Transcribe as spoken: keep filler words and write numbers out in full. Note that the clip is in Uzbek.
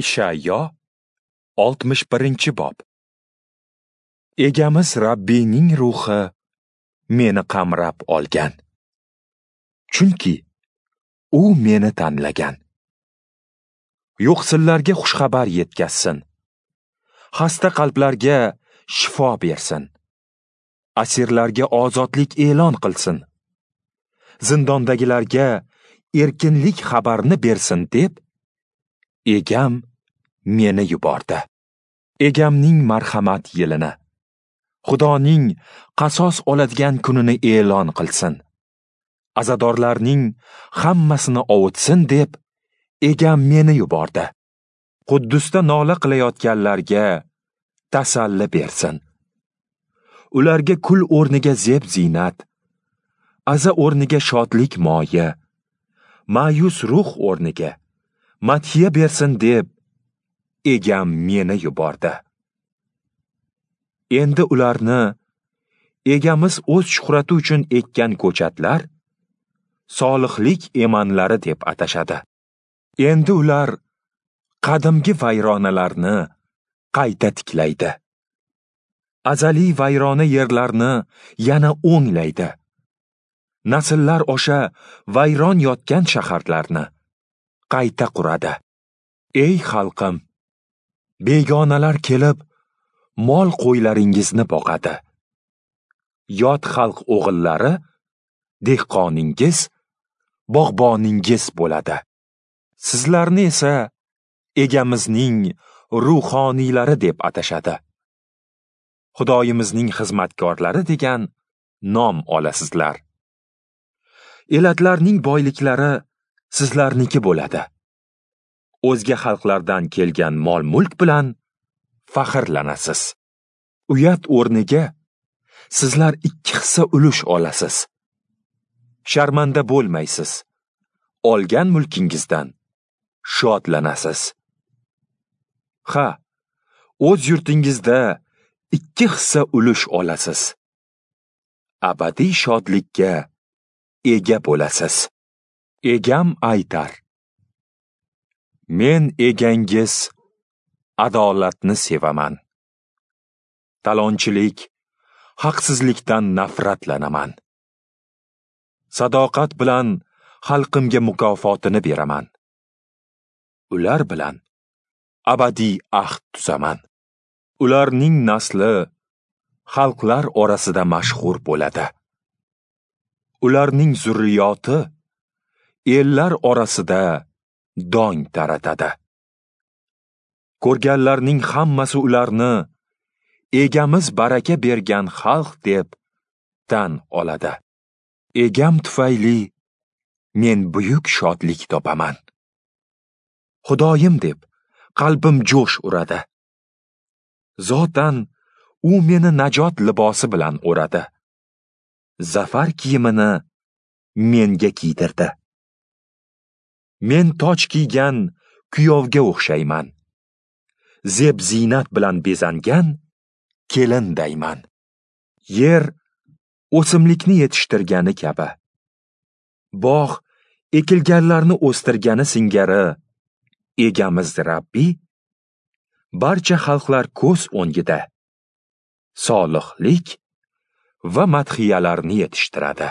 Ishayyo oltmish birinchi bob. Egamiz Rabbiyning ruhi meni qamrab olgan. Chunki u meni tanlagan. Yo'qsillarga xushxabar yetkazsin. Xasta qalblarga shifo bersin. Asirlarga ozodlik e'lon qilsin. Zindondagilarga erkinlik xabarini bersin deb Egam meni yubordi. Egamning marhamat yilini, Xudoning qasos oladigan kunini e'lon qilsin. Azadorlarning hammasini ovutsin deb Egam meni yubordi. Quddusda nola qilayotganlarga tasalli bersin. Ularga kul o'rniga zeb ziynat, aza o'rniga shodlik moyi, ma'yus ruh o'rniga madhiya bersin deb Egam meni yubordi. Endi ularni Egamiz o'z shuhrati uchun ekkan ko'chatlar solihlik emanlari deb atashadi. Endi ular qadimgi vayronalarni qayta tiklaydi. Azaliy vayrona yerlarni yana o'nglaydi. Nasllar osha vayron yotgan shaharlarni qayta quradi. Ey xalqim, begonalar kelib mol qo'ylaringizni boqadi. Yot xalq o'g'illari dehqoningiz, bog'boningiz bo'ladi. Sizlarni esa Egamizning ruhoniylari deb atashadi. Xudoyimizning xizmatkorlari degan nom olasizlar. Elatlarning boyliklari sizlarniki bo'ladi. O'zga xalqlardan kelgan mol-mulk bilan faxrlanasiz. Uyat o'rniga sizlar ikki hissa ulush olasiz. Sharmanda bo'lmaysiz. Olgan mulkingizdan shodlanasiz. Ha, o'z yurtingizda ikki hissa ulush olasiz. Abadiy shodlikka ega bo'lasiz. Egam aytar: Men egangiz adolatni sevaman. Talonchilik, haqsizlikdan nafratlanaman. Sadoqat bilan xalqimga mukofotini beraman. Ular bilan abadiy ahd tuzaman. Ularning nasli xalqlar orasida mashhur bo'ladi. Ularning zurriyoti ellar orasida dong taratadi. Ko'rganlarning hammasi ularni Egamiz baraka bergan xalq deb tan oladi. Egam tufayli men buyuk shodlik topaman. Xudoyim deb qalbim jo'sh uradi. Zotan u meni najot libosi bilan o'radi. Zafar kiyimini menga kiydirdi. Men toj kiygan kuyovga o'xshayman. Zeb ziynat bilan bezangan kelindayman. Yer o'simlikni yetishtirgani kabi, bog' ekilganlarni o'stirgani singari Egamiz Rabbiy barcha xalqlar ko'z o'ngida solihlik va madhiyalarni yetishtiradi.